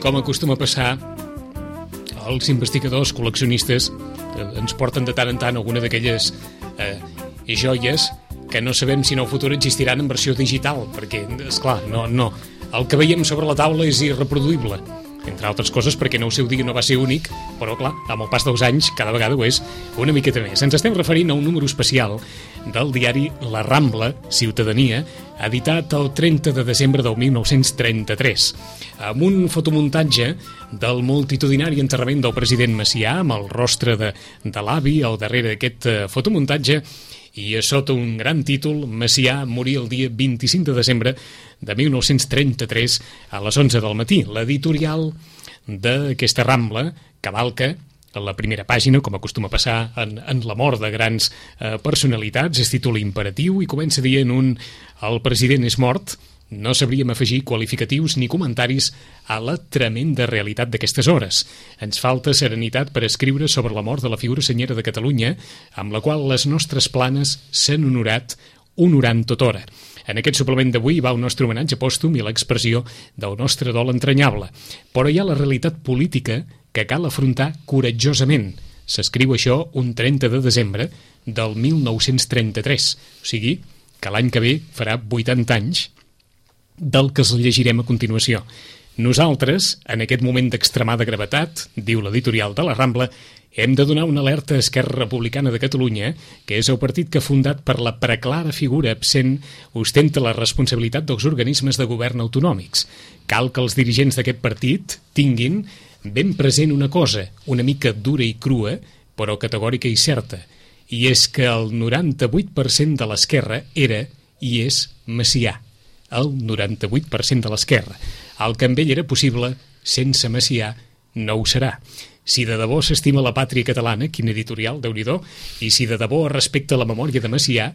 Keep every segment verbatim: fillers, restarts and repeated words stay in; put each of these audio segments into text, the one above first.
com acostuma a passar, els investigadors, col·leccionistes, ens porten de tant en tant alguna d'aquelles eh, joies que no sabem si en el futur existiran en versió digital, perquè, esclar, no, no. El que veiem sobre la taula és irreproduïble, entre altres coses perquè en el seu dia no va ser únic, però clar, amb el pas dels anys cada vegada ho és una miqueta més. Ens estem referint a un número especial del diari La Rambla, Ciutadania, editat el trenta de desembre del mil nou-cents trenta-tres, amb un fotomuntatge del multitudinari enterrament del president Macià, amb el rostre de, de l'avi al darrere d'aquest eh, fotomuntatge, i a sota un gran títol, Macià morí el dia vint-i-cinc de desembre de mil nou-cents trenta-tres a les onze del matí. L'editorial d'aquesta Rambla cavalca a la primera pàgina, com acostuma a passar en, en la mort de grans eh, personalitats, es titula Imperatiu i comença dient un «El president és mort». No sabríem afegir qualificatius ni comentaris a la tremenda realitat d'aquestes hores. Ens falta serenitat per escriure sobre la mort de la figura senyera de Catalunya, amb la qual les nostres planes s'han honorat, honorant tota hora. En aquest suplement d'avui va el nostre homenatge pòstum i l'expressió del nostre dol entranyable. Però hi ha la realitat política que cal afrontar coratjosament. S'escriu això un trenta de desembre del mil nou-cents trenta-tres, o sigui que l'any que ve farà vuitanta anys del que es llegirem a continuació. Nosaltres, en aquest moment d'extremada gravetat, diu l'editorial de la Rambla, hem de donar una alerta a Esquerra Republicana de Catalunya, que és el partit que, fundat per la preclara figura absent, ostenta la responsabilitat dels organismes de govern autonòmics. Cal que els dirigents d'aquest partit tinguin ben present una cosa, una mica dura i crua, però categòrica i certa, i és que el noranta-vuit per cent de l'esquerra era i és Macià. El noranta-vuit per cent de l'esquerra. El que amb ell era possible, sense Macià, no ho serà. Si de debò s'estima la pàtria catalana, quin editorial, Déu-n'hi-do, i si de debò es respecta la memòria de Macià,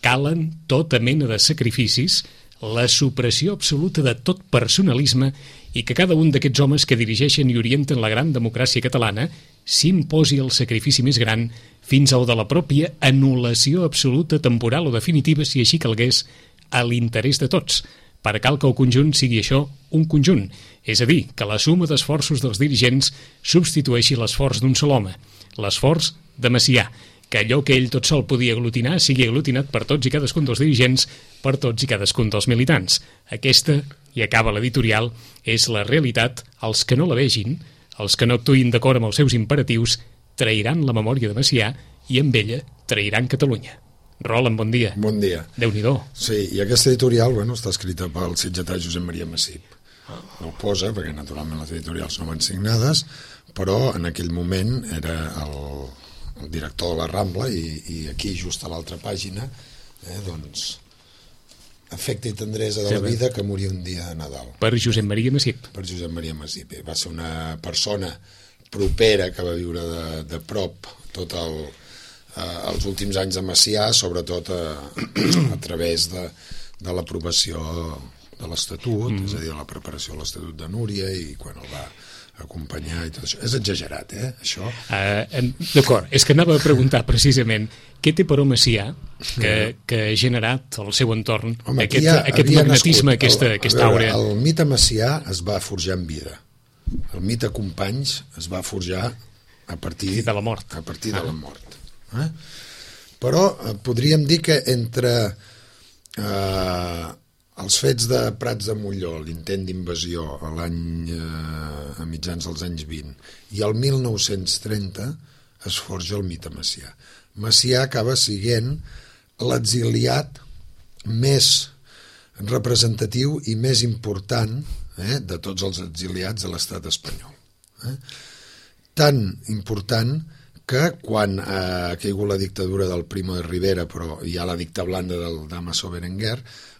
calen tota mena de sacrificis, la supressió absoluta de tot personalisme i que cada un d'aquests homes que dirigeixen i orienten la gran democràcia catalana s'imposi el sacrifici més gran fins al de la pròpia anul·lació absoluta, temporal o definitiva, si així calgués, a l'interès de tots, per cal que el conjunt sigui això un conjunt, és a dir, que la suma d'esforços dels dirigents substitueixi l'esforç d'un sol home, l'esforç de Macià, que allò que ell tot sol podia aglutinar sigui aglutinat per tots i cadascun dels dirigents, per tots i cadascun dels militants. Aquesta, i acaba l'editorial, és la realitat. Els que no la vegin, els que no actuïn d'acord amb els seus imperatius, trairan la memòria de Macià i amb ella trairan Catalunya. Roland, bon dia. Bon dia. Déu-n'hi-do. Sí, i aquesta editorial, bueno, està escrita pel sitgetà Josep Maria Massip. No ho posa, perquè naturalment les editorials no van signades, però en aquell moment era el, el director de la Rambla i, i aquí, just a l'altra pàgina, eh, doncs, afecte i tendresa de la vida que moria un dia de Nadal. Per Josep Maria Massip. Per Josep Maria Massip. Va ser una persona propera que va viure de, de prop tot el... Eh, els últims anys de Macià, sobretot a, a través de, de l'aprovació de l'Estatut, mm. és a dir, la preparació de l'Estatut de Núria i quan el va acompanyar i tot això. És exagerat, eh, això? Uh, D'acord, és que anava a preguntar precisament què té per Macià que, que ha generat al seu entorn Home, aquest, ha, aquest magnetisme, nascut, aquesta, el, aquesta aura. El mite Macià es va forjar en vida. El mite Companys es va forjar a partir de la mort. A partir ah. de la mort. Eh? Però eh, podríem dir que entre eh, els fets de Prats de Molló, l'intent d'invasió a l'any eh, a mitjans dels anys vint i el mil nou-cents trenta es forja el mite Macià. Macià acaba sent l'exiliat més representatiu i més important eh, de tots els exiliats de l'estat espanyol. Eh? Tan important que quan ha caigut la dictadura del Primo de Rivera, però hi ha la dicta blanda del Damaso Berenguer,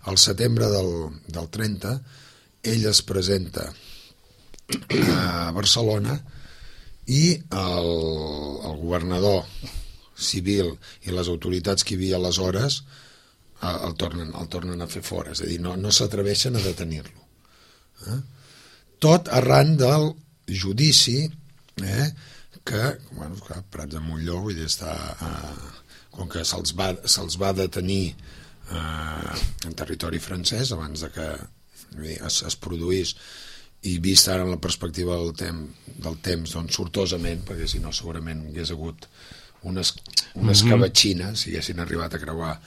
al setembre del, del trenta, ell es presenta a Barcelona i el, el governador civil i les autoritats que hi havia aleshores el tornen, el tornen a fer fora, és a dir, no, no s'atreveixen a detenir-lo. Eh? Tot arran del judici eh, que, bueno, que Prats de Molló, vull dir, està, eh, com que se'ls va, se'ls va detenir eh, en territori francès abans de que dir, es, es produís i vist ara en la perspectiva del, tem, del temps, doncs sortosament, perquè si no segurament hagués hagut unes, unes mm-hmm. cavatxines si haguessin arribat a creuar,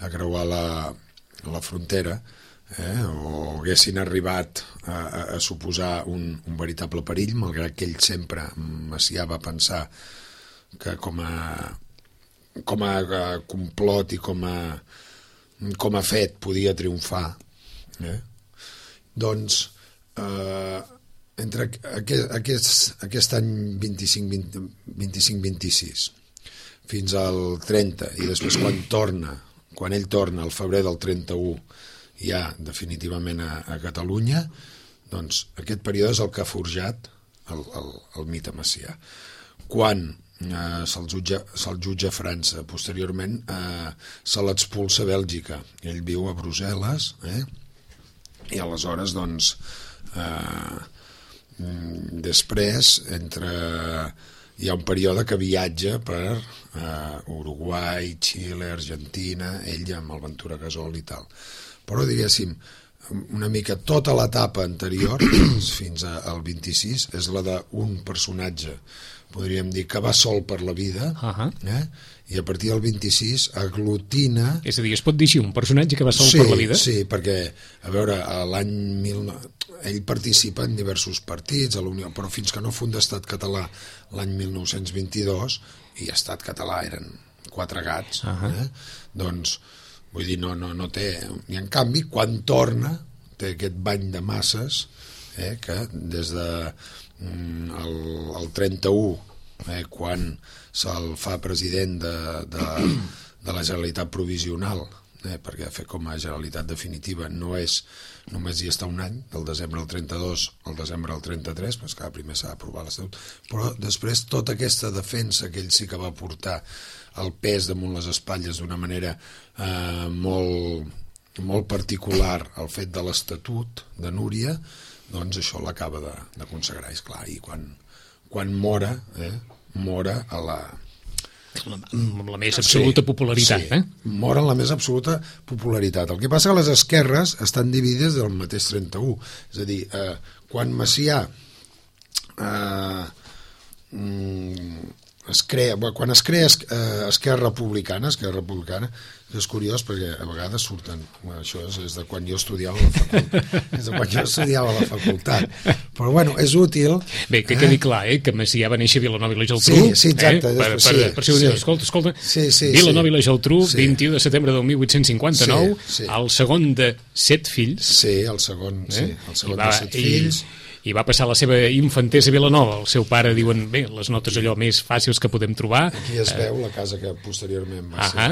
a creuar la, la frontera, eh? O haguessin arribat a, a, a suposar un, un veritable perill, malgrat que ell sempre, Macià, va pensar que com a, com a, a complot i com a, com a fet podia triomfar, eh? Doncs Uh, entre aquest, aquest, aquest any vint-i-cinc vint-i-sis fins al trenta, i després quan torna, quan ell torna al febrer del trenta-u ja definitivament a, a Catalunya, doncs aquest període és el que ha forjat el, el, el mite Macià. Quan eh, se'l jutja, se'l jutja a França, posteriorment eh, se l'expulsa a Bèlgica, ell viu a Brussel·les, eh? I aleshores doncs Uh, després entre hi ha un període que viatja per uh, Uruguai, Xile, Argentina, ell amb el Ventura Gasol i tal, però diguéssim una mica tota l'etapa anterior fins al vint-i-sis és la d'un personatge, podríem dir que va sol per la vida, uh-huh. eh? I a partir del vint-i-sis aglutina... És a dir, es pot dir així, un personatge que va sol sí, per la vida? Sí, perquè, a veure, l'any mil... ell participa en diversos partits a la Unió, però fins que no funda Estat Català l'any mil nou-cents vint-i-dos, i Estat Català eren quatre gats, uh-huh. eh? Doncs, vull dir, no, no, no té... I en canvi, quan torna, té aquest bany de masses, eh? Que des de mm, el, el trenta-u, eh? Quan se'l fa president de, de, de la Generalitat provisional, eh? Perquè fer com a Generalitat definitiva no és només hi està un any, del desembre al trenta-dos al desembre al trenta-tres, doncs que primer s'ha d'aprovar l'Estatut, però després tota aquesta defensa que ell sí que va portar el pes damunt les espatlles d'una manera eh, molt, molt particular al fet de l'Estatut de Núria, doncs això l'acaba de, de consagrar, és clar, i quan, quan mora, eh, mora a la... amb la més absoluta sí, popularitat, sí, eh? Mor en la més absoluta popularitat. El que passa que les esquerres estan dividides del mateix trenta-u, és a dir, eh, quan Macià eh, es crea, quan es crea eh, Esquerra Republicana, Esquerra Republicana, és curiós perquè a vegades surten, bueno, això és, és de quan jo estudiava a la facultat, és de quan jo estudiava a la facultat, però bueno, és útil. Bé, que quedi eh? clar, eh, que Macià va néixer a Vilanova i la Geltrú, sí, sí, exacte, eh? per, per, sí, per si ho sí. dius, escolta, escolta, sí, sí, Vilanova i la Geltrú, sí. vint-i-u de setembre del mil vuit-cents cinquanta-nou, sí, sí. el segon de set fills, sí, el segon, eh? sí, el segon va, de set fills, i va passar la seva infantesa a Vilanova. El seu pare, diuen, bé, les notes allò més fàcils que podem trobar. Aquí es veu la casa que posteriorment va ser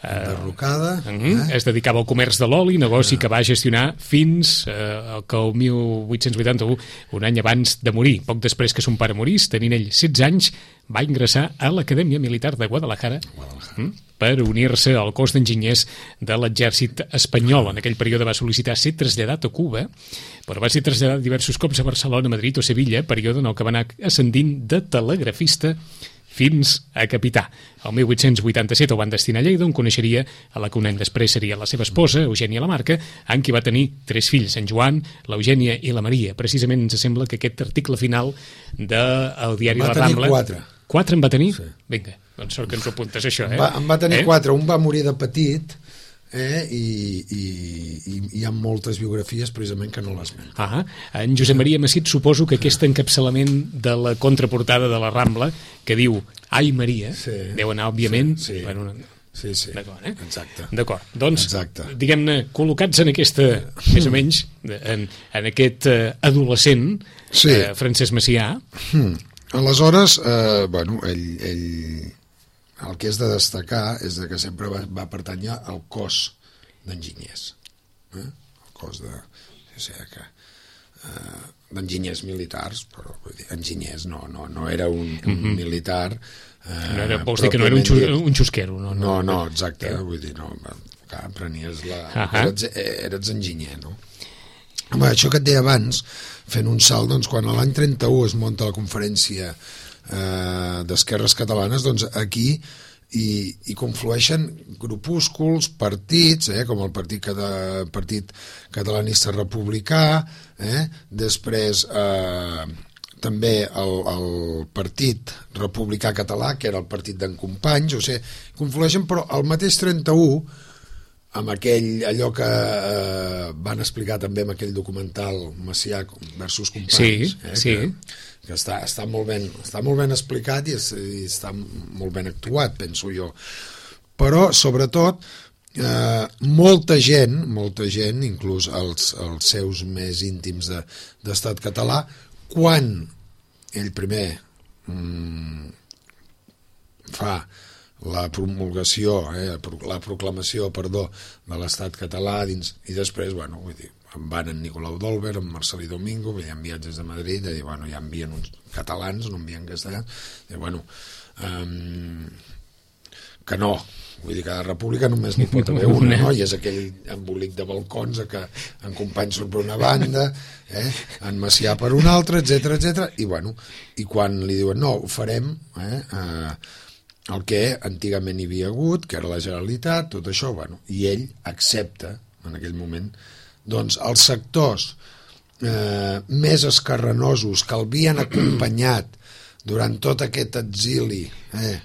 enderrocada. Uh, uh, eh? Es dedicava al comerç de l'oli, negoci uh. que va gestionar fins uh, que el mil vuit-cents vuitanta-u, un any abans de morir. Poc després que son pare morís, tenint ell setze anys, va ingressar a l'Acadèmia Militar de Guadalajara, Guadalajara. Uh, per unir-se al cos d'enginyers de l'exèrcit espanyol. En aquell període va sol·licitar ser traslladat a Cuba, però va ser traslladat diversos cops a Barcelona, Madrid o Sevilla, període en el que va anar ascendint de telegrafista fins a capità. El mil vuit-cents vuitanta-set el van destinar a Lleida, on coneixeria a la que un any després seria la seva esposa, Eugènia Lamarca, amb qui va tenir tres fills, en Joan, l'Eugènia i la Maria. Precisament ens sembla que aquest article final del diari La Rambla... Va tenir quatre. Quatre en va tenir? Sí. Vinga, doncs sort que ens ho apuntes, això, eh? Va, en va tenir eh? quatre, un va morir de petit, eh? I, i, i hi ha moltes biografies precisament que no l'esmenten. Ah, en Josep Maria Macit, suposo que aquest encapçalament de la contraportada de la Rambla, que diu Ai Maria, sí, deu anar, òbviament... Sí, sí. Bueno, sí, sí. D'acord, eh? Exacte. D'acord. Doncs, Exacte. diguem-ne, col·locats en aquesta, més o menys, en, en aquest uh, adolescent, sí. uh, Francesc Macià... Hmm. Aleshores, eh, bueno, ell, ell, el que és de destacar és que sempre va, va pertànyer al cos d'enginyers, eh? El cos de... O sigui que... Eh, d'enginyers militars, però vull dir, enginyers, no, no, no era un, un mm-hmm. militar... Eh, no era, vols dir que no era un, xus, un xusquero, no? No, no, no exacte, eh? Vull dir, no, clar, prenies la... Uh-huh. Eres, eres enginyer, no? Home, això que et deia abans, fent un salt, doncs, quan a l'any trenta-u es munta la conferència eh, d'Esquerres Catalanes, doncs aquí i, i conflueixen grupúsculs, partits, eh, com el Partit, Cata, Partit Catalanista Republicà, eh, després eh, també el, el Partit Republicà Català, que era el partit d'en Companys, o sigui, conflueixen, però el mateix trenta-u, amb aquell, allò que eh, van explicar també en aquell documental Macià versus Companys, sí, eh, sí. que, que està, està, molt ben, està molt ben explicat i, es, i està molt ben actuat, penso jo. Però, sobretot, eh, molta gent, molta gent, inclús els, els seus més íntims de, d'Estat català, quan ell primer mm, fa la promulgació, eh, la proclamació, perdó, de l'Estat català dins, i després, bueno, vull dir, en van en Nicolau d'Olver, en Marcelí Domingo, veien viatges de Madrid, i bueno, ja envien uns catalans, no envien castellans, i bueno, um, que no, vull dir que de república només n'hi pot haver una, no? I és aquell embolic de balcons que en Companys surt per una banda, eh? En Macià per una altra, etcètera, etcètera, i bueno, i quan li diuen no, ho farem, eh? eh el que antigament hi havia hagut, que era la Generalitat, tot això, bueno, i ell accepta, en aquell moment, doncs els sectors eh, més escarrenosos que l'havien acompanyat durant tot aquest exili eh,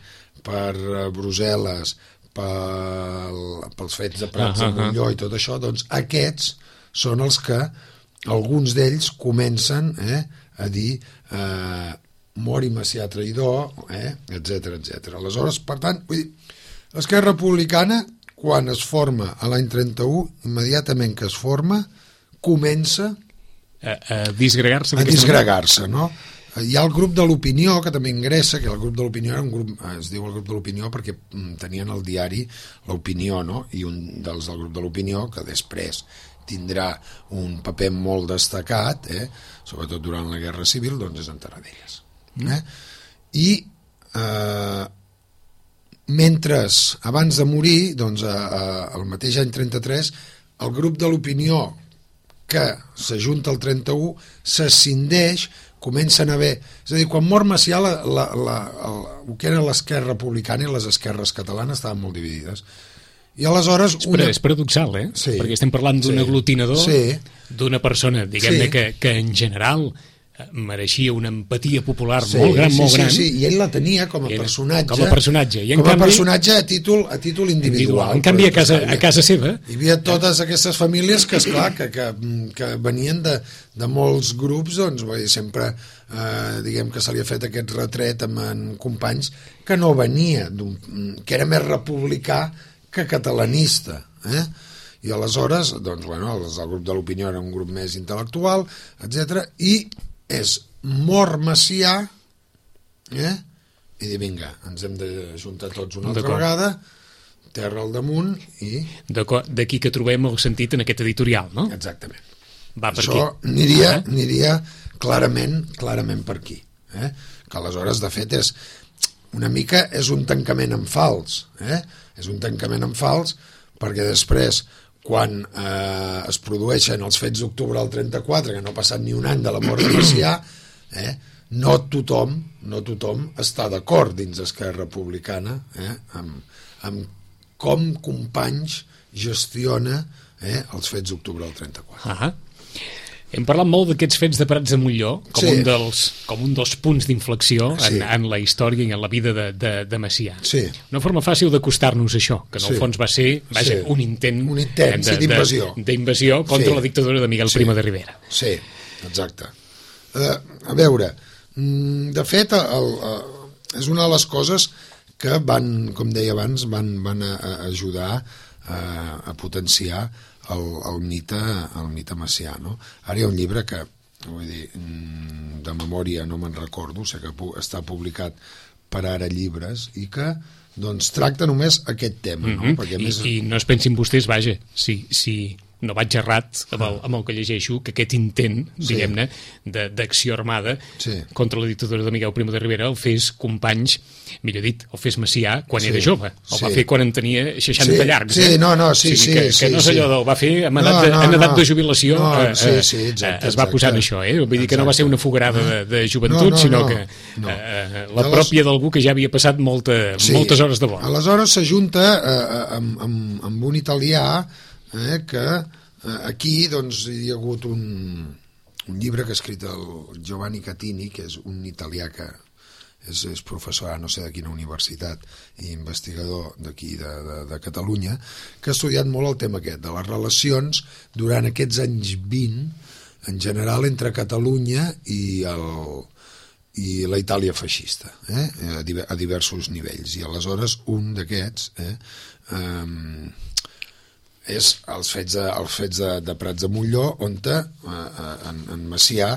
per Brussel·les, pel, pels fets de Prats de Molló i tot això, doncs aquests són els que alguns d'ells comencen eh, a dir eh, mori Macià traïdor, eh, etcètera, etcètera. Aleshores, per tant, vull dir, l'Esquerra Republicana, quan es forma a l'any trenta-u, immediatament que es forma, comença a, a disgregar-se. A disgregar-se, no? Hi ha el grup de l'opinió, que també ingressa, que el grup de l'opinió era un grup, es diu el grup de l'opinió perquè tenien al diari l'opinió, no? I un dels del grup de l'opinió, que després tindrà un paper molt destacat, eh? Sobretot durant la Guerra Civil, doncs és en Tarradellas. Eh? I eh, mentre abans de morir, doncs, a, a, el mateix any trenta-tres, el grup de l'opinió que s'ajunta al trenta-u s'escindeix, comencen a haver, és a dir, quan mor Macià la, la, la, el, el que era l'esquerra republicana i les esquerres catalanes estaven molt dividides. I aleshores... És, una... és paradoxal, eh? Sí. Perquè estem parlant d'un sí. aglutinador, sí. d'una persona, diguem-ne, sí. que, que en general mereixia una empatia popular sí, molt gran, sí, molt sí, gran. Sí, sí, i ell la tenia com a personatge. Com a personatge. I en com canvi, a personatge a títol, a títol individual. En canvi, a casa, a casa seva... Hi havia totes aquestes famílies que, esclar, que, que, que venien de, de molts grups, doncs, vull dir, sempre, eh, diguem que se li ha fet aquest retret amb en Companys, que no venia, que era més republicà que catalanista, eh? I aleshores, doncs, bueno, el, el grup de l'opinió era un grup més intel·lectual, etcètera, i és mort Macià, eh? I dir, vinga, ens hem de juntar tots una altra vegada, terra al damunt i... D'aquí que trobem el sentit en aquest editorial, no? Exactament. Va per Això aquí. Aniria, aniria clarament, clarament per aquí. Eh? Que aleshores, de fet, és una mica és un tancament en fals. Eh? És un tancament en fals perquè després... quan eh, es produeixen els fets d'octubre del trenta-quatre, que no ha passat ni un any de la mort de Macià, eh, no tothom no tothom està d'acord dins d'Esquerra Republicana eh, amb, amb com Companys gestiona eh, els fets d'octubre del trenta-quatre. Ah, hem parlat molt d'aquests fets de Prats de Molló com, sí. un, dels, com un dels punts d'inflexió en, sí. en la història i en la vida de, de, de Macià. Sí. Una forma fàcil d'acostar-nos a això, que en el sí. fons va ser vaja, sí. un intent, un intent de, sí, d'invasió. d'invasió contra sí. la dictadura de Miguel sí. Primo de Rivera. Sí, exacte. Uh, a veure, de fet, el, el, és una de les coses que van, com deia abans, van, van a, a ajudar a, a potenciar el, el, mite, el mite Macià, no? Ara hi ha un llibre que, vull dir, de memòria no me'n recordo, sé que està publicat per Ara Llibres i que doncs tracta només aquest tema, no? Mm-hmm. Perquè I, més... I no es pensin vostès, vaja, si, si no vaig errat amb el, amb el que llegeixo, que aquest intent, sí. diguem-ne, d'acció armada sí. contra la dictadura de Miguel Primo de Rivera el fes Companys, millor dit, el fes Macià quan sí. era jove. El sí. va fer quan en tenia seixanta sí. llargs. Sí, eh? no, no, sí, o sigui, sí. Que, sí, que no és sí. allò del va fer en edat, no, de, no, en edat no. de jubilació no, eh, sí, sí, exacte, es va posar en això, eh? Vull dir que no va ser una fogarada de, de joventut, no, no, sinó no, que no. Eh, la pròpia d'algú que ja havia passat molta, sí. moltes hores de vol. Aleshores s'ajunta eh, amb, amb, amb un italià eh, que eh, aquí doncs, hi ha hagut un, un llibre que ha escrit el Giovanni Catini, que és un italià que és, és professor, no sé de quina universitat, i investigador d'aquí de, de, de Catalunya, que ha estudiat molt el tema aquest, de les relacions durant aquests anys vint, en general entre Catalunya i, el, i la Itàlia feixista, eh? a diversos nivells. I aleshores un d'aquests eh, um, és els fets de, els fets de, de Prats de Molló, on eh, en, en Macià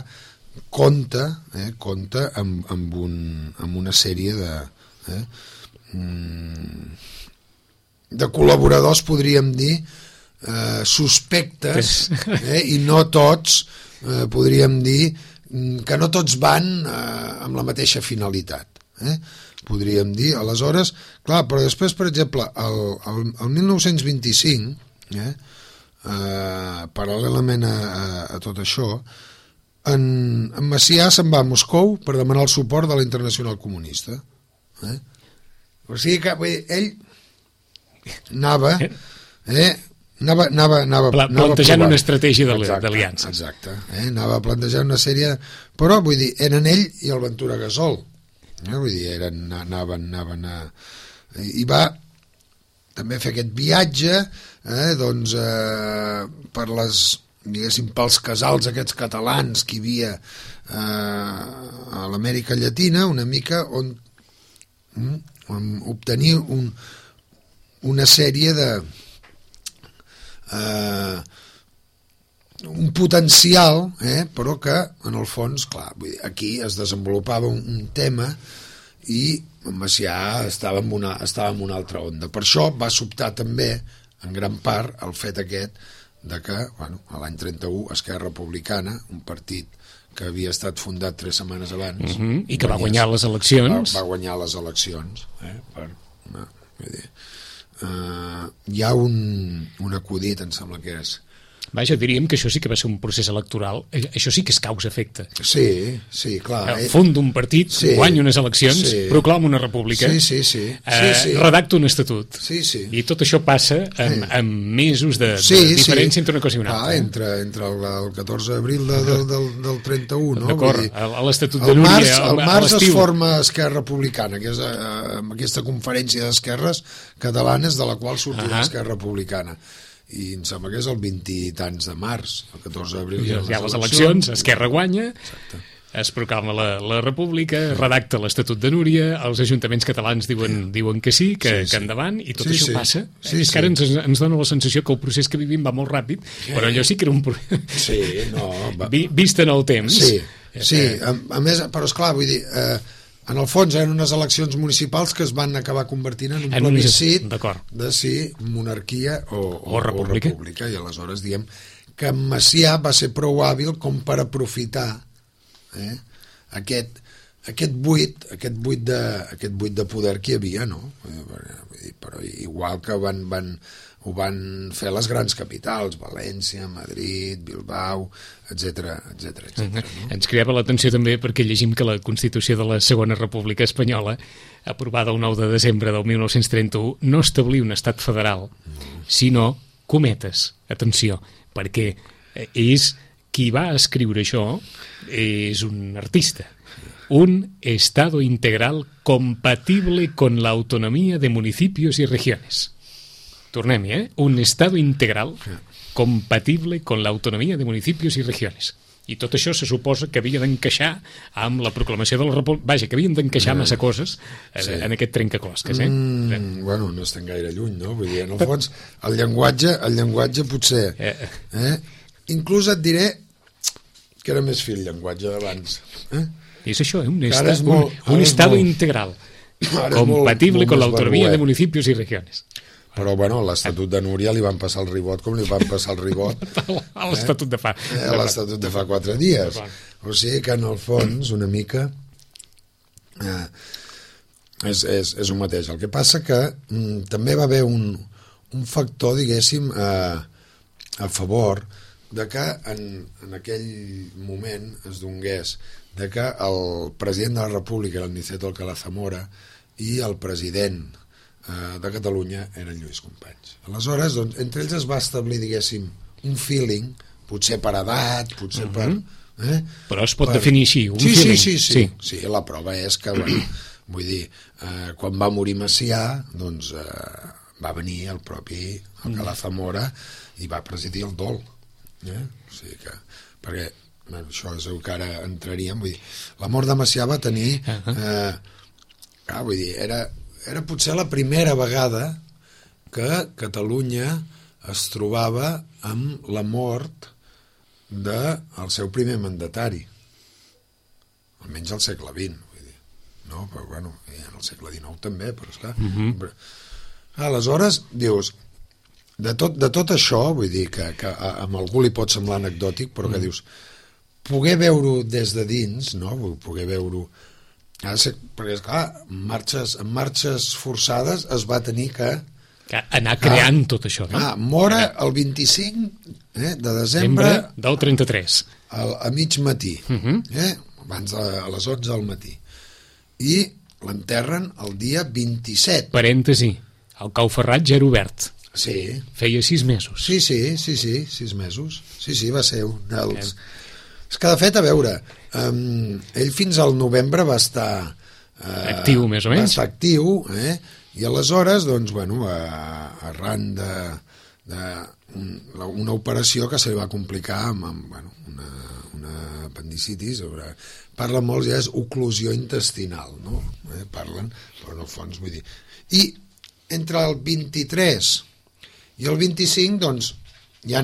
compta, eh, compta amb, amb, un, amb una sèrie de, eh, de col·laboradors, podríem dir, eh, suspectes, eh, i no tots, eh, podríem dir, que no tots van eh, amb la mateixa finalitat, eh, podríem dir. Aleshores, clar, però després, per exemple, el, el, el mil nou-cents vint-i-cinc, eh, eh, paral·lelament a, a, a tot això, en, en Macià se'n va a Moscou per demanar el suport de la Internacional Comunista. Eh? O sigui que bé, ell anava, eh, anava, anava, anava, Pla, anava plantejant provant. una estratègia d'aliances. Exacte, eh? Anava plantejant una sèrie... Però, vull dir, eren ell i el Ventura Gasol. Eh? Vull dir, eren, anaven, anaven a... I va també fer aquest viatge, eh, doncs, eh, per les... diguéssim, pels casals aquests catalans que hi havia eh, a l'Amèrica Llatina, una mica on, on obtenir un, una sèrie de eh, un potencial, eh, però que en el fons, clar, vull dir, aquí es desenvolupava un, un tema i Macià estava en, una, estava en una altra onda. Per això va sobtar també en gran part el fet aquest de que, bueno, a l'any trenta-u Esquerra Republicana, un partit que havia estat fundat tres setmanes abans, uh-huh. i que va guanyar les eleccions, va, va guanyar les eleccions, eh, per, no, vull dir, uh, hi ha un, un acudit, em sembla que és, vaja, diríem que això sí que va ser un procés electoral, això sí que és causa-efecte. Sí, sí, clar. Funda un partit, sí, guanya unes eleccions, sí, proclama una república, sí, sí, sí, eh, sí, sí. redacta un estatut, sí, sí. i tot això passa amb, sí. amb mesos de, sí, de diferència sí. entre una cosa i una altra. Ah, entre, entre el, el catorze d'abril de, del, del, del trenta-u, no? D'acord, a l'estatut de Núria, març, el març es forma Esquerra Republicana, que és eh, aquesta conferència d'esquerres catalanes de la qual sortia uh-huh. Esquerra Republicana. I em sembla que és el vint i tants de març, el catorze d'abril hi ha les, hi ha les eleccions, Esquerra guanya. Exacte. Es proclama la, la república, redacta l'Estatut de Núria, els ajuntaments catalans diuen, diuen que sí, que, sí, sí. que endavant, i tot sí, això sí. passa. Sí, és que ara ens, ens dona la sensació que el procés que vivim va molt ràpid, sí. però allò sí que era un procés... Sí, no... Va... Vist en el temps... Sí, sí. A, a més, però esclar, vull dir... Eh, en el fons eren unes eleccions municipals que es van acabar convertint en un en plebiscit de si monarquia o, o, o, república. o república, i aleshores diem que Macià va ser prou hàbil com per aprofitar eh, aquest, aquest buit aquest buit, de, aquest buit de poder que hi havia, no? Però igual que van, van, ho van fer les grans capitals, València, Madrid, Bilbao, etcètera, etcètera, etcètera. Uh-huh. No? Ens cridava l'atenció també perquè llegim que la Constitució de la Segona República Espanyola, aprovada el nou de desembre del mil nou-cents trenta-u, no establia un estat federal, uh-huh. sinó cometes, atenció, perquè és qui va escriure això és un artista. Un Estado integral compatible con la autonomía de municipios y regiones. Tornem-hi, eh? Un Estado integral compatible con la autonomía de municipios y regiones. I tot això se suposa que havia d'encaixar amb la proclamació de la República. Vaja, que havien d'encaixar massa coses eh, sí. en aquest trencaclosques, eh? Mm, bueno, no estem gaire lluny, no? Vull dir, en el fons, el llenguatge, el llenguatge potser... Eh. Eh? Inclús et diré que era més fi el llenguatge d'abans. Eh? És això, un, esta, molt, un, un Estado molt, integral compatible molt, molt con la autonomia de municipios y regiones. Però, bueno, a l'Estatut de Núria li van passar el ribot com li van passar el ribot a l'Estatut de fa... Eh, a l'Estatut de fa quatre dies. O sigui que, en el fons, una mica... Eh, és, és, és un mateix. El que passa que mm, també va haver un, un factor, diguéssim, eh, a favor de que en, en aquell moment es donés de que el president de la República era el Niceto Alcalá Zamora i el president eh, de Catalunya era el Lluís Companys. Aleshores, doncs, entre ells es va establir, diguéssim, un feeling, potser per edat, potser uh-huh. per... Eh? Però es pot per... definir així, un sí, feeling. Sí, sí, sí, sí. sí, la prova és que, bueno, vull dir, eh, quan va morir Macià, doncs eh, va venir el propi Alcalá Zamora i va presidir el dol. Eh? O sigui que, perquè bueno, això és el que ara entraríem, vull dir, la mort de Macià va tenir eh, ah, vull dir, era, era potser la primera vegada que Catalunya es trobava amb la mort del seu primer mandatari, almenys al segle vint, vull dir. No, però bueno, en el segle dinou també, però esclar. Uh-huh. Aleshores, dius, de tot, de tot això, vull dir que, que a, a algú li pot semblar anecdòtic, però que uh-huh. dius, poder veure-ho des de dins, no? Poder veure-ho... Perquè, esclar, en marxes, en marxes forçades es va tenir que... que anar creant ah, tot això, no? Ah, mora el vint-i-cinc eh, de desembre... del trenta-tres. Al, a mig matí, uh-huh. eh, abans de, a les onze del matí. I l'enterren el dia vint-i-set. Parèntesi, el Cau Ferrat ja era obert. Sí. Feia sis mesos. Sí, sí, sí, sí, sis mesos. Sí, sí, va ser un dels... Eh. És que, de fet, a veure, um, ell fins al novembre va estar... Uh, actiu, més o menys. Va estar actiu, eh? I aleshores, doncs, bueno, uh, arran de, de un, una operació que se li va complicar amb, amb bueno, una, una apendicitis, sobre... parlen molts, ja és oclusió intestinal, no? Eh? Parlen, però en el fons, vull dir... I entre el vint-i-tres i el vint-i-cinc, doncs, hi ha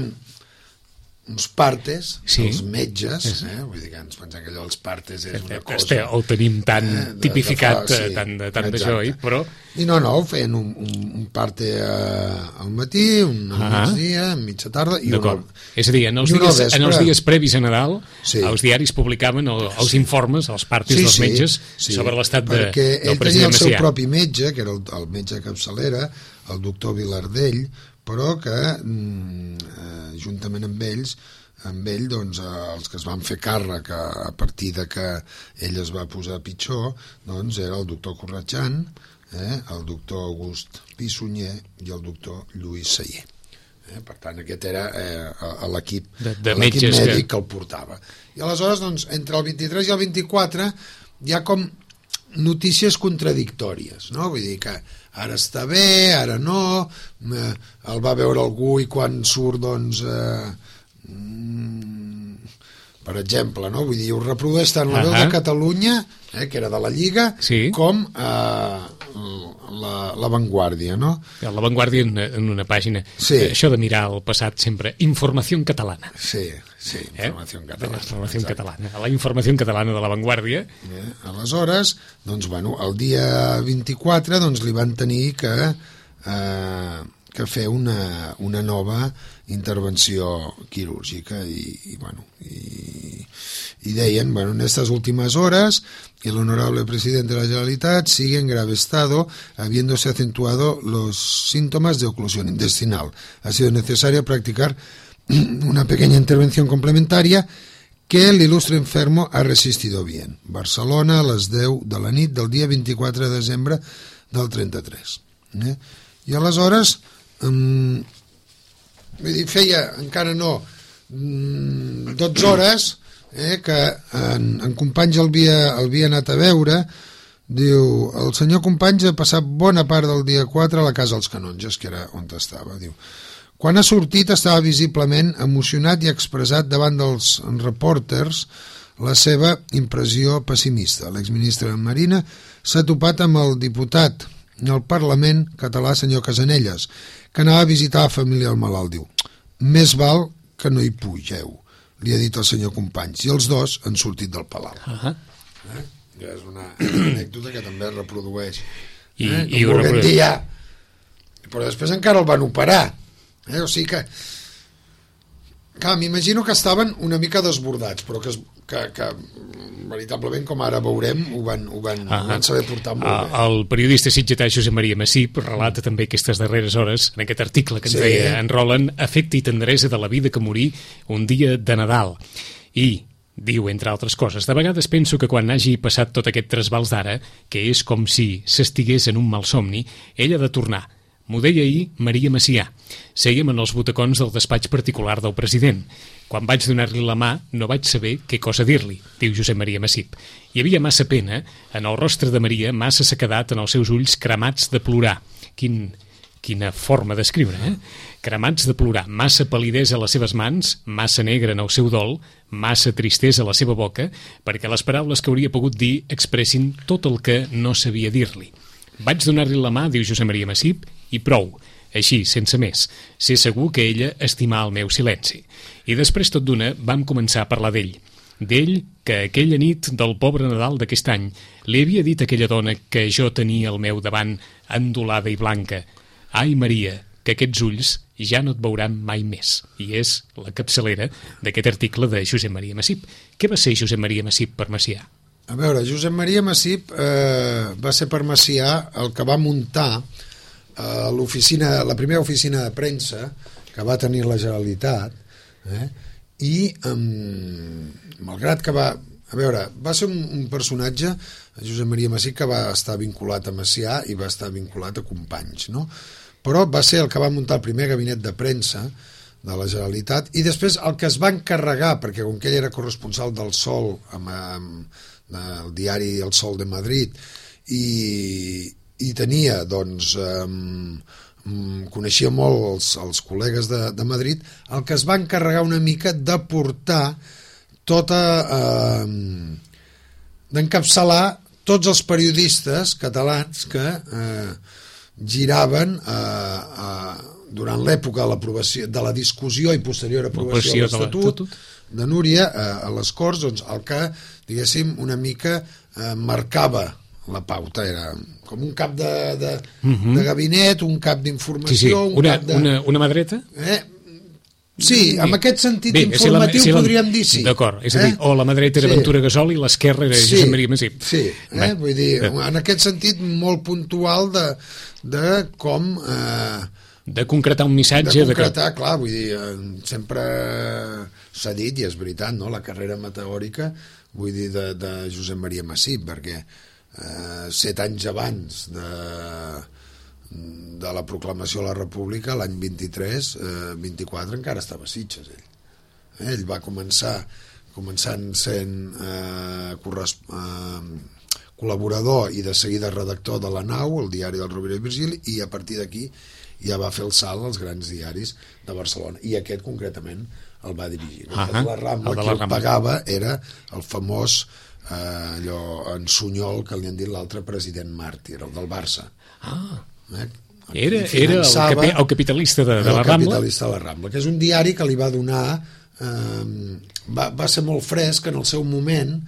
uns partes, sí. Els metges, sí. eh? Vull dir que ens pensem que allò dels partes és una cosa... Este, el tenim tan eh, de, tipificat, de fa, sí, tant, tant d'això, però... I no, no, feien un, un, un parte uh, al matí, un al ah. migdia, a mitja tarda... I una, és a dir, en els, dies, en els dies previs a Nadal, sí. Els diaris publicaven el, els sí. informes, els partes sí, dels metges, sí, sí. sobre l'estat de, del president Macià. Perquè ell tenia el seu propi metge, que era el, el metge capçalera, el doctor Vilardell, però que eh, juntament amb ells amb ell, doncs, els que es van fer càrrec a, a partir de que ell es va posar pitjor, doncs era el doctor Corretjan, eh, el doctor August Pissunyer i el doctor Lluís Sayer. Eh, per tant, aquest era eh, l'equip mèdic que... que el portava. I aleshores, doncs, entre el vint-i-tres i el vint-i-quatre hi ha com notícies contradictòries, no? Vull dir que ara està bé, ara no, eh, el va veure algú i quan surt, doncs, eh, mm, per exemple, no? Vull dir, ho reprodueix tant la veu de Catalunya, eh, que era de la Lliga, sí. com eh, la, la Vanguardia, no? La Vanguardia en, en una pàgina. Sí. Eh, això de mirar el passat sempre, informació catalana. Sí, sí, informació eh? catalana. Informació catalana. La informació catalana de la Vanguardia. Eh, aleshores, doncs, bueno, el dia vint-i-quatre doncs, li van tenir que, eh, que fer una, una nova intervenció quirúrgica i, i bueno, i, y deien, bueno, en estas últimas horas el honorable presidente de la Generalitat sigue en grave estado, habiéndose acentuado los síntomas de oclusión intestinal. Ha sido necesario practicar una pequeña intervención complementaria que el ilustre enfermo ha resistido bien. Barcelona, a les deu de la nit del dia vint-i-quatre de desembre del trenta-tres. Eh? I aleshores, um, vull dir, feia, encara no, um, dotze hores, eh, que en, en Companys el havia, el havia anat a veure. Diu, el senyor Companys ha passat bona part del dia quatre a la casa dels Canonges, que era on estava. Diu, quan ha sortit estava visiblement emocionat i expressat davant dels reporters la seva impressió pessimista. L'exministre de Marina s'ha topat amb el diputat del Parlament català, senyor Casanelles, que anava a visitar la família del malalt. Diu, més val que no hi pugeu, li ha dit el senyor Companys, i els dos han sortit del palau. Uh-huh. Eh? És una anècdota que també es reprodueix. I, eh? i ho reprodueix. Dia, però després encara el van operar, eh? O sigui que clar, m'imagino que estaven una mica desbordats, però que, es, que, que veritablement, com ara veurem, ho van, ho van, ah, ho van saber portar molt ah, bé. El periodista sitgetà Josep Maria Massip relata mm. també aquestes darreres hores, en aquest article que ens sí. deia en Roland, afecte i tendresa de la vida que morí un dia de Nadal. I diu, entre altres coses, de vegades penso que quan hagi passat tot aquest trasbals d'ara, que és com si s'estigués en un malsomni, ell ha de tornar. M'ho deia ahir Maria Macià. Sèiem en els butacons del despatx particular del president. Quan vaig donar-li la mà no vaig saber què cosa dir-li, diu Josep Maria Massip. Hi havia massa pena, en el rostre de Maria massa sequedat en els seus ulls cremats de plorar. Quin, quina forma d'escriure, eh? Cremats de plorar, massa palidesa a les seves mans, massa negra en el seu dol, massa tristesa a la seva boca, perquè les paraules que hauria pogut dir expressin tot el que no sabia dir-li. Vaig donar-li la mà, diu Josep Maria Massip, i prou, així, sense més. Sé segur que ella estimà el meu silenci. I després, tot d'una, vam començar a parlar d'ell. D'ell, que aquella nit del pobre Nadal d'aquest any li havia dit a aquella dona que jo tenia al meu davant endolada i blanca: «Ai, Maria, que aquests ulls ja no et veuran mai més». I és la capçalera d'aquest article de Josep Maria Massip. Què va ser Josep Maria Massip per Macià? A veure, Josep Maria Massip eh, va ser per Macià el que va muntar eh, l'oficina, la primera oficina de premsa que va tenir la Generalitat, eh, i eh, malgrat que va, a veure, va ser un, un personatge, Josep Maria Massip, que va estar vinculat a Macià i va estar vinculat a Companys, no? Però va ser el que va muntar el primer gabinet de premsa de la Generalitat, i després el que es va encarregar, perquè com que ell era corresponsal del Sol, amb, amb del diari El Sol de Madrid, i, i tenia, doncs, eh, coneixia molt els, els col·legues de, de Madrid, el que es va encarregar una mica de portar tota, eh, d'encapçalar tots els periodistes catalans que eh, giraven eh, eh, durant l'època de l'aprovació, de la discussió i posterior aprovació de l'Estatut de Núria eh, a les Corts, doncs el que, diguéssim, una mica eh, marcava la pauta, era com un cap de, de, uh-huh. de gabinet, un cap d'informació, sí, sí. un una, cap de... Una, una mà dreta? Eh? Sí, amb aquest sentit Bé, informatiu si la, si la, podríem dir sí. D'acord, és a dir, eh? o la mà dreta era sí. Ventura Gasol i l'esquerra era sí. Josep Maria Massip. Sí, eh? vull dir, en aquest sentit molt puntual de, de com... Eh, de concretar un missatge... De concretar, de que... clar, vull dir, sempre s'ha dit, i és veritat, no?, la carrera meteòrica, vull dir, de, de Josep Maria Massip, perquè eh, set anys abans de, de la proclamació de la República, l'any vint-i-tres, eh, vint-i-quatre, encara estava a Sitges, ell. Eh, ell va començar, començant sent eh, corresp... eh, col·laborador i de seguida redactor de La Nau, el diari del Rovira i Virgili, i a partir d'aquí ja va fer el salt als grans diaris de Barcelona, i aquest concretament el va dirigir. Uh -huh. La Rambla, el qui el pagava era el famós eh, allò, en Sunyol, que li han dit l'altre president màrtir, el del Barça. Ah, eh? era, era el, capi, el capitalista de, de la Rambla? El capitalista de la Rambla, que és un diari que li va donar... Eh, va, va ser molt fresc en el seu moment,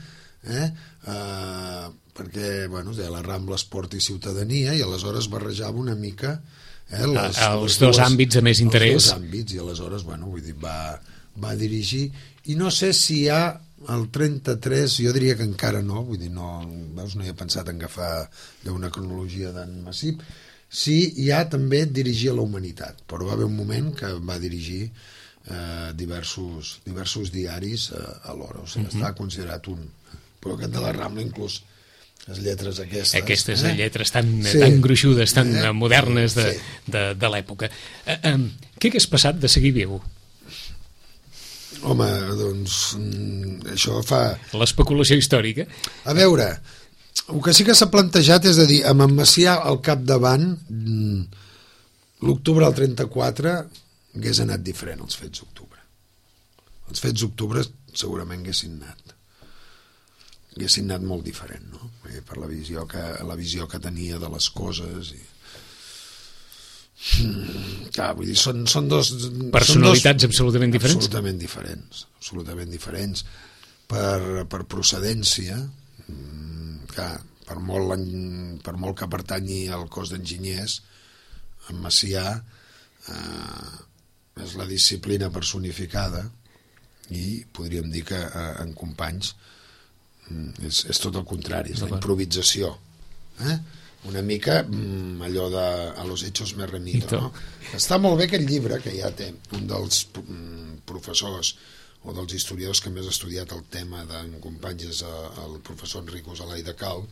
eh, eh, perquè, bueno, deia la Rambla Esport i Ciutadania, i aleshores barrejava una mica... Eh, les, els les dos dues, àmbits de més interès. Els dos àmbits, i aleshores, bueno, vull dir, va, va dirigir, i no sé si hi ha el trenta-tres, jo diria que encara no, vull dir, no, veus, no hi he pensat en agafar una cronologia d'en Massip, si hi ha també dirigir a la Humanitat, però va haver un moment que va dirigir eh, diversos, diversos diaris eh, alhora, o sigui, uh-huh. està considerat un, però aquest de la Rambla inclús les lletres aquestes. Aquestes eh? lletres tan, sí. tan gruixudes, tan eh? modernes de, sí. de, de l'època. Eh, eh, què hagués passat de seguir viu? Home, doncs, això fa... L'especulació històrica. A veure, el que sí que s'ha plantejat és a dir, amb en Macià al capdavant, l'octubre del trenta-quatre hagués anat diferent, els fets d'octubre. Els fets d'octubre segurament haguessin anat. haguessin anat molt diferent, no? Per la visió que, la visió que tenia de les coses i... Mm, clar, vull dir, són, són dos... Personalitats són dos, absolutament diferents? Absolutament diferents, absolutament diferents per, per procedència, mm, clar, per molt, per molt que pertanyi al cos d'enginyers, en Macià eh, és la disciplina personificada i podríem dir que eh, en Companys és, és tot el contrari, és la improvisació, eh? Una mica mm, allò de a los hechos me remito, no? Està molt bé aquest llibre que ja té un dels mm, professors o dels historiadors que més ha estudiat el tema d'en Companys és el professor Enrico Zelai de Cal,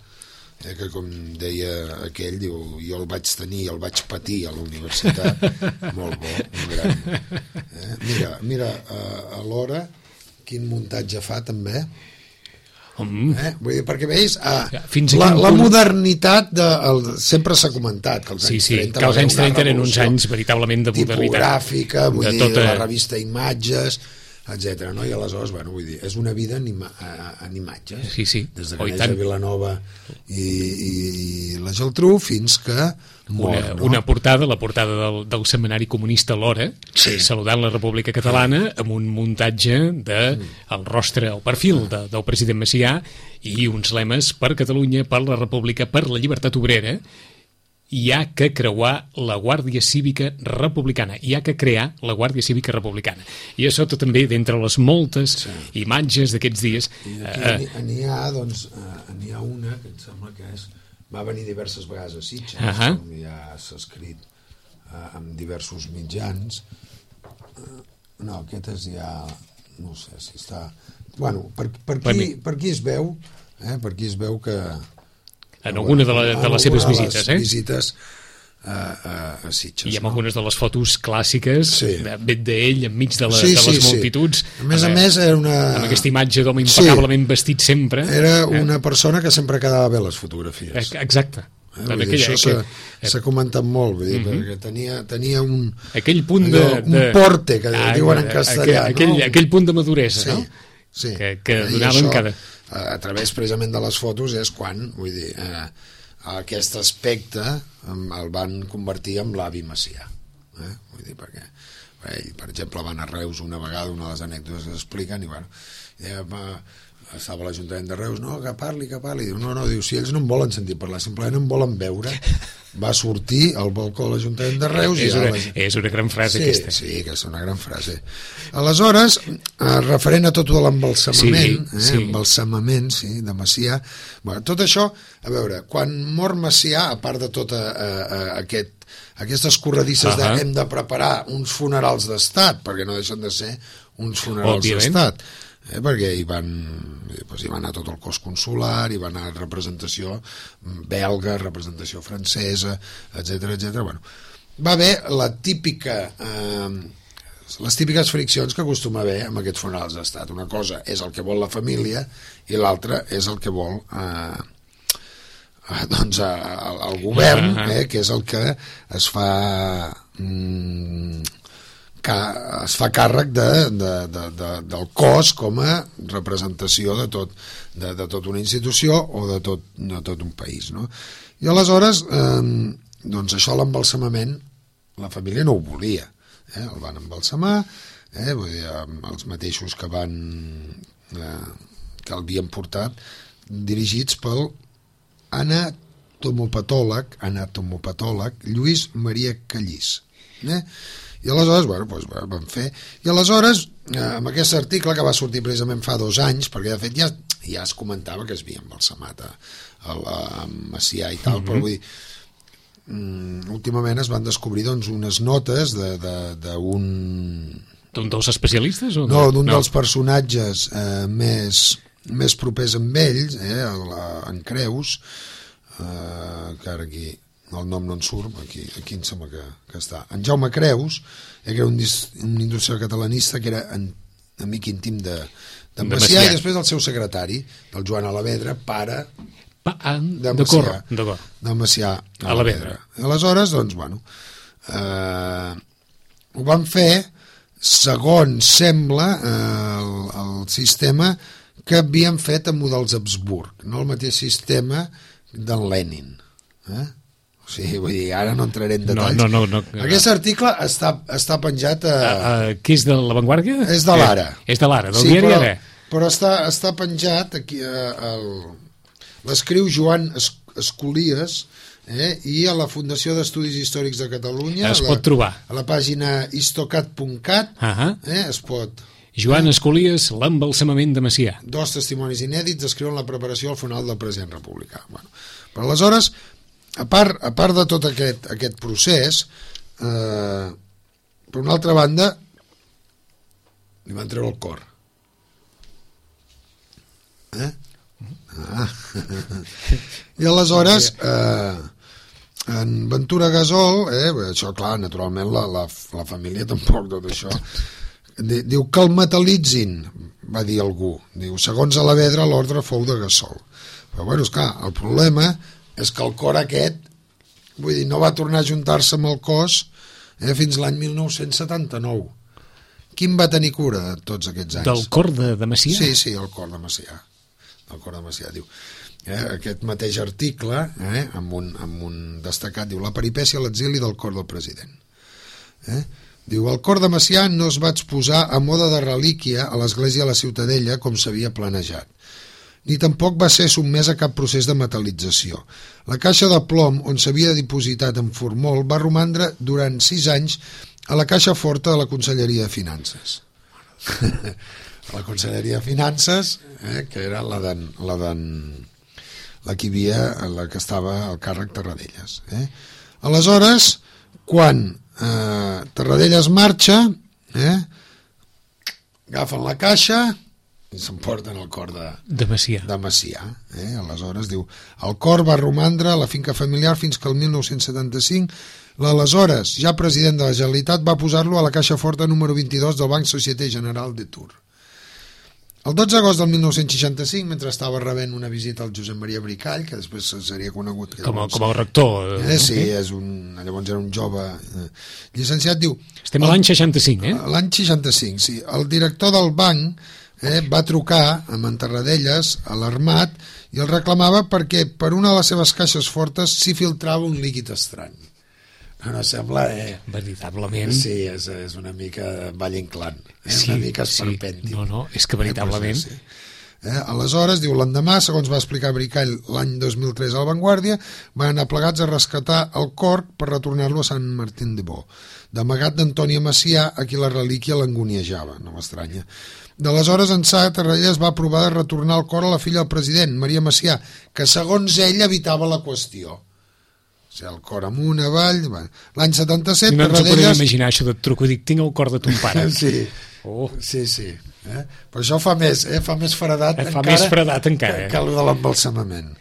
eh, que com deia aquell, diu, jo el vaig tenir, el vaig patir a la universitat, molt bo, un gran. Eh? Mira, mira eh, alhora quin muntatge fa també. Mm. Eh? Vull dir, perquè veus ah, Fins la, la punt... modernitat de, el, sempre s'ha comentat que els sí, anys sí, trenta, que els anys trenta eren uns anys veritablement de modernitat tipogràfica, vull de dir, tota... la revista Imatges, etcètera. No? I aleshores, bueno, vull dir, és una vida en, ima en imatges, sí, sí. des de oh, que neix a Vilanova i, i, i la Geltrú fins que mor, una, no? una portada, la portada del, del setmanari comunista L'Hora, sí. saludant la República Catalana, amb un muntatge de el rostre, el perfil de, del president Macià i uns lemes per Catalunya, per la República, per la llibertat obrera. Hi ha que creuar la Guàrdia Cívica Republicana, hi ha que crear la Guàrdia Cívica Republicana. I això tot també d'entre les moltes sí. imatges d'aquests dies. I aquí eh, n'hi ha, doncs, n'hi ha una que em sembla que és, va venir diverses vegades a Sitges, uh -huh. com ja s'ha escrit eh, amb diversos mitjans. Uh, no, aquest és ja, no sé si està... Bueno, per, per, aquí, per aquí es veu, eh, per aquí es veu que... En alguna de, la, de les seves visites, eh? visites a, a, a Sitges. I amb no? algunes de les fotos clàssiques sí. d'ell enmig de, la, sí, de les sí, multituds. Sí. A més a més era una... Amb aquesta imatge d'home impecablement sí. vestit sempre. Era eh? una persona que sempre quedava bé les fotografies. Exacte. Eh, dir, aquella, això s'ha comentat molt, vull dir, uh -huh. perquè tenia, tenia un... Aquell punt de... Allò, un porte, que ah, diuen en castellà. Aquell, no? aquell punt de maduresa, sí, no? Sí. Que, que donaven cada... a través precisament de les fotos és quan, vull dir, eh, aquest aspecte el van convertir en l'avi Macià, eh? Vull dir, perquè ell, per exemple, van a Reus una vegada, una de les anècdotes que s'expliquen, i bueno, eh, estava a l'Ajuntament de Reus, no, que parli, que parli, diu, no, no, diu, si ells no en volen sentir parlar, simplement en volen veure, va sortir al balcó de l'Ajuntament de Reus és, i una, la... és una gran frase sí, aquesta. Sí, que és una gran frase. Aleshores, eh, referent a tot l'embalsamament, sí, sí. eh, embalsamament, sí, de Macià, bueno, tot això, a veure, quan mor Macià, a part de tot eh, eh, aquest, aquestes corredisses uh -huh. de hem de preparar uns funerals d'estat, perquè no deixen de ser uns funerals d'estat, eh, perquè hi van, doncs hi va anar tot el cos consular, hi va anar representació belga, representació francesa, etcètera, etcètera. Bueno, va haver la típica eh, les típiques friccions que acostuma a haver amb aquests funerals d'estat. Una cosa és el que vol la família i l'altra és el que vol eh, eh, doncs eh, el govern, eh, que és el que es fa mm, que es fa càrrec de, de, de, de, del cos com a representació de tot, de, de tota una institució o de tot, de tot un país, no? I aleshores eh, doncs això, l'embalsamament, la família no ho volia, eh? El van embalsamar, eh? Vull dir, els mateixos que van eh, que l'havien portat, dirigits pel anatomopatòleg anatomopatòleg Lluís Maria Callís, eh? I aleshores, bueno, doncs van fer... I aleshores, eh, amb aquest article que va sortir precisament fa dos anys, perquè de fet ja, ja es comentava que es havia embalsamat a, a, a Macià i tal, mm -hmm. però vull dir, mm, últimament es van descobrir doncs, unes notes d'un... D'un dels especialistes? O no, d'un no. dels personatges eh, més, més propers amb ells, eh, en Creus, eh, que ara aquí... el nom no en surt, aquí, aquí em sembla que, que està. En Jaume Creus, eh, que era un, un industrial catalanista que era en, amic íntim de, de Macià, i després el seu secretari, el Joan Alavedra, pare pa, ah, de Macià, de Macià Alavedra. Aleshores, doncs, bueno, eh, ho van fer segons sembla eh, el, el sistema que havien fet amb models Habsburg, no el mateix sistema d'en Lenin, eh? O sigui, vull dir, ara no entraré en detalls. No, no, no, no. Aquest article està, està penjat a... a, a... Què és de La Vanguardia? És de l'Ara. Eh, és de l'Ara, del sí, diari però, Ara. Però està, està penjat aquí, l'escriu Joan Escolies, eh? I a la Fundació d'Estudis Històrics de Catalunya es la, pot trobar a la pàgina histocat punt cat uh-huh. eh? es pot Joan Escolies, l'embalsamament de Macià. Dos testimonis inèdits descriuen la preparació al funeral del president republicà. Bueno, però aleshores, a part, a part de tot aquest, aquest procés, eh, per una altra banda, li van treure el cor. Eh? Ah. I aleshores, eh, en Ventura Gasol, eh, això clar, naturalment la, la, la família tampoc tot això, diu que el metal·litzin, va dir algú, diu, segons Alavedra l'ordre fou de Gasol, però bueno, esclar, el problema és que el cor aquest, vull dir, no va tornar a juntar-se amb el cos eh, fins l'any mil nou-cents setanta-nou. Quin va tenir cura de tots aquests anys? Del cor de, de Macià? Sí, sí, el cor de Macià. El cor de Macià, diu. Eh, aquest mateix article, eh, amb, un, amb un destacat, diu, la peripècia a l'exili del cor del president. Eh? Diu, el cor de Macià no es va exposar a moda de relíquia a l'església de la Ciutadella com s'havia planejat, ni tampoc va ser sotmès a cap procés de metalització. La caixa de plom on s'havia dipositat en formol va romandre durant sis anys a la caixa forta de la Conselleria de Finances. La Conselleria de Finances, eh, que era la d'en, la d'en, la que hi havia, la que estava al càrrec Tarradellas. Eh? Aleshores, quan eh, Tarradellas marxa, eh, agafen la caixa i s'emporten el cor de, de Macià. De Macià eh? Aleshores, diu, el cor va romandre a la finca familiar fins que el mil nou-cents setanta-cinc l'aleshores ja president de la Generalitat va posar-lo a la caixa forta número vint-i-dos del Banc Société Générale de Tours. El dotze d'agost del mil nou-cents seixanta-cinc, mentre estava rebent una visita al Josep Maria Bricall, que després seria conegut que com, llavors, com el rector eh, sí, és un, llavors era un jove eh, llicenciat, diu estem a l'any seixanta-cinc, eh? L'any seixanta-cinc, sí. El director del banc eh, va trucar amb en Tarradellas alarmat i el reclamava perquè per una de les seves caixes fortes s'hi filtrava un líquid estrany. No sembla... Eh, veritablement... Sí, és, és una mica Valle Inclán, eh, sí, una mica esperpèntic. Sí. No, no, és que veritablement... Eh, pues, sí. eh, aleshores, diu, l'endemà, segons va explicar Bricall l'any dos mil tres a La Vanguardia, van anar plegats a rescatar el cor per retornar-lo a Sant Martín de Bo, d'amagat d'Antònia Macià, a qui la relíquia l'angoniejava, no m'estranya. D'aleshores ençà, Tarradellas va provar de retornar el cor a la filla del president, Maria Macià, que segons ell evitava la qüestió. O sigui, el cor amunt, avall... L'any setanta-set... No ens ho podem imaginar, això de truco, dic, tinc el cor de ton pare. Sí, oh. sí, sí. Eh? Però això fa més, eh? fa més fredat eh, fa encara, més fredat encara que, eh? que el de l'embalsamament.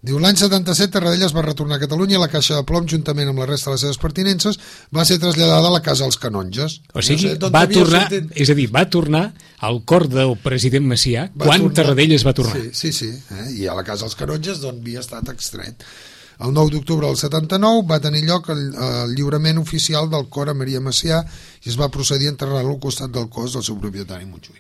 Diu, l'any setanta-set Tarradellas va retornar a Catalunya i la caixa de plom, juntament amb la resta de les seves pertinences, va ser traslladada a la casa dels canonges. O sigui, no sé, va tornar, sortit... és a dir, va tornar al cor del president Macià va quan tornar... Tarradellas va tornar. Sí, sí, sí. Eh? I a la casa dels canonges d'on havia estat extret. El nou d'octubre del setanta-nou va tenir lloc el, el lliurament oficial del cor a Maria Macià i es va procedir a enterrar-lo al costat del cos del seu propietari Montjuïc.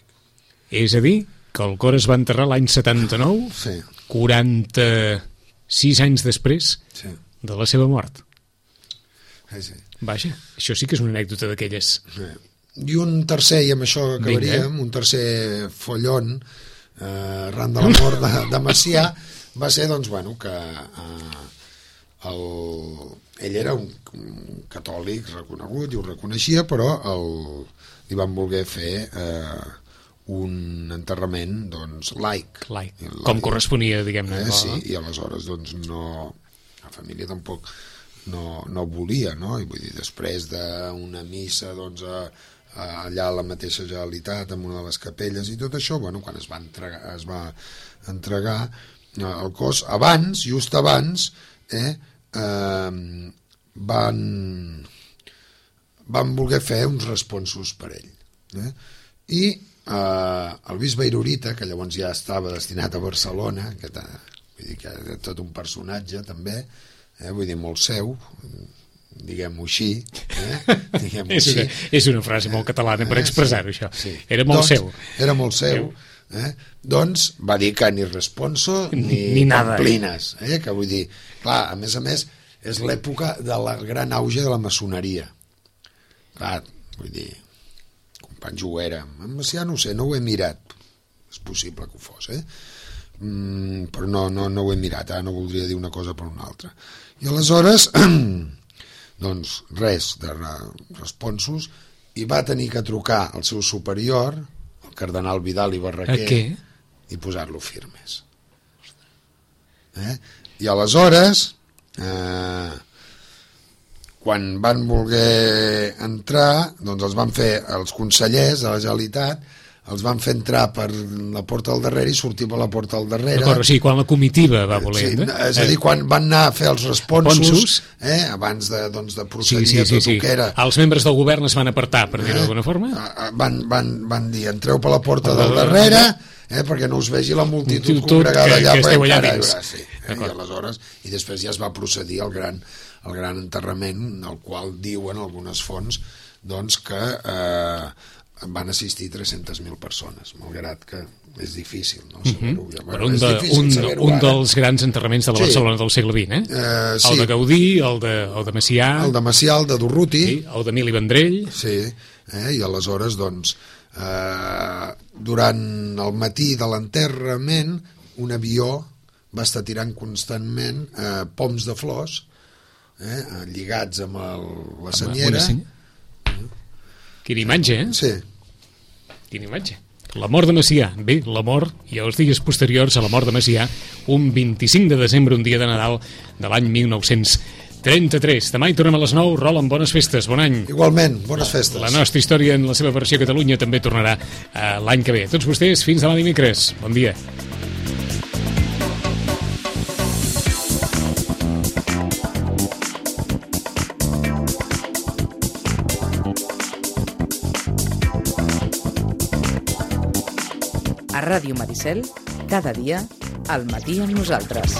És a dir, que el cor es va enterrar l'any setanta-nou, sí. quaranta-sis anys després sí. de la seva mort. Sí, sí. Vaja, això sí que és una anècdota d'aquelles. Sí. I un tercer, i amb això acabaríem, Vinga. un tercer follon eh, arran de la mort de, de Macià va ser, doncs, bueno, que... Eh, El, ell era un, un catòlic reconegut i ho reconeixia, però el, li van voler fer eh, un enterrament doncs, laic. laic. Com corresponia, diguem-ne. Eh, sí, i aleshores doncs, no, la família tampoc no, no volia, no? I vull dir, després d'una missa doncs, a, a, allà a la mateixa Generalitat, en una de les capelles i tot això, bueno, quan es va entregar, es va entregar el cos, abans, just abans, eh, Eh, van van voler fer uns responsos per ell eh? I eh, el bisbe Irurita, que llavors ja estava destinat a Barcelona, que vull dir que era tot un personatge també, eh? Vull dir, molt seu, diguem-ho així, eh? diguem-ho és, una, així. És una frase molt catalana per expressar-ho, això. Sí. Era molt doncs, seu. Era molt seu. Eh? Doncs va dir que ni responso ni, ni nada, pamplines, eh? Que vull dir, clar, a més a més és l'època de la gran auge de la maçoneria, clar, vull dir, companys ho era, ja no ho sé, no ho he mirat, és possible que ho fos, eh? mm, però no, no, no ho he mirat, eh? No voldria dir una cosa per una altra. I aleshores, doncs res de responsos, i va tenir que trucar al seu superior, el cardenal Vidal i Barraquer, i posar-lo firmes. Eh? I aleshores, eh, quan van voler entrar, doncs els van fer els consellers de la Generalitat, els van fer entrar per la porta del darrere i sortir per la porta del darrere. D'acord, o sigui, quan la comitiva va voler... Sí, és a dir, quan van anar a fer els responsos, eh, abans de, doncs, de procedir sí, sí, sí, a tot sí. el que era... Els membres del govern es van apartar, per dir-ho eh, d'alguna forma? Van, van, van dir, entreu per la porta del darrere, eh, perquè no us vegi la multitud, multitud congregada allà, que esteu allà dins. Sí, eh, i aleshores, i després ja es va procedir al gran, al gran enterrament, al qual diuen algunes fonts doncs, que eh, van assistir tres-centes mil persones, malgrat que és difícil, no? Saber-ho. Uh-huh. Bueno, un, de, un, un dels grans enterraments de la Barcelona sí. del segle vint, eh? Uh, sí. El de Gaudí, el de, el de Macià... El de Macià, el de Durruti... Sí, el d'Emili Vendrell... Sí, eh? I aleshores, doncs, eh, durant el matí de l'enterrament, un avió va estar tirant constantment eh, poms de flors, eh, lligats amb el, la senyera... Quina imatge, eh? Sí. Quina imatge. La mort de Macià. Bé, la mort i els dies posteriors a la mort de Macià, un vint-i-cinc de desembre, un dia de Nadal de l'any mil nou-cents trenta-tres. Demà hi tornem a les nou. Roland, bones festes, bon any. Igualment, bones festes. La nostra història en la seva versió a Catalunya també tornarà eh, l'any que ve. A tots vostès, fins demà dimecres. Bon dia. A Ràdio Maricel, cada dia, al matí amb nosaltres.